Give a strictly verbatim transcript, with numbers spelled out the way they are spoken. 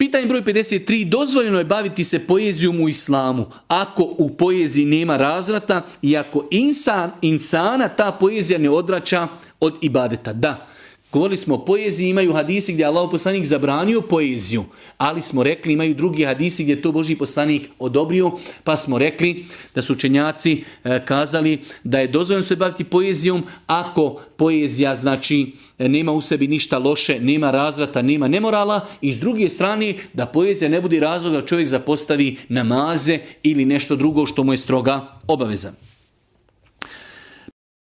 Pitanje broj pedeset tri. Dozvoljeno je baviti se poezijom u islamu ako u poeziji nema razvrata i ako insan, insana ta poezija ne odvraća od ibadeta. Da, govorili smo o poeziji, imaju hadisi gdje je Allahov poslanik zabranio poeziju, ali smo rekli imaju drugi hadisi gdje je to Božji poslanik odobrio, pa smo rekli da su učenjaci e, kazali da je dozvoljeno se baviti poezijom ako poezija znači nema u sebi ništa loše, nema razvrata, nema nemorala, i s druge strane da poezija ne bude razlog da čovjek zapostavi namaze ili nešto drugo što mu je stroga obaveza.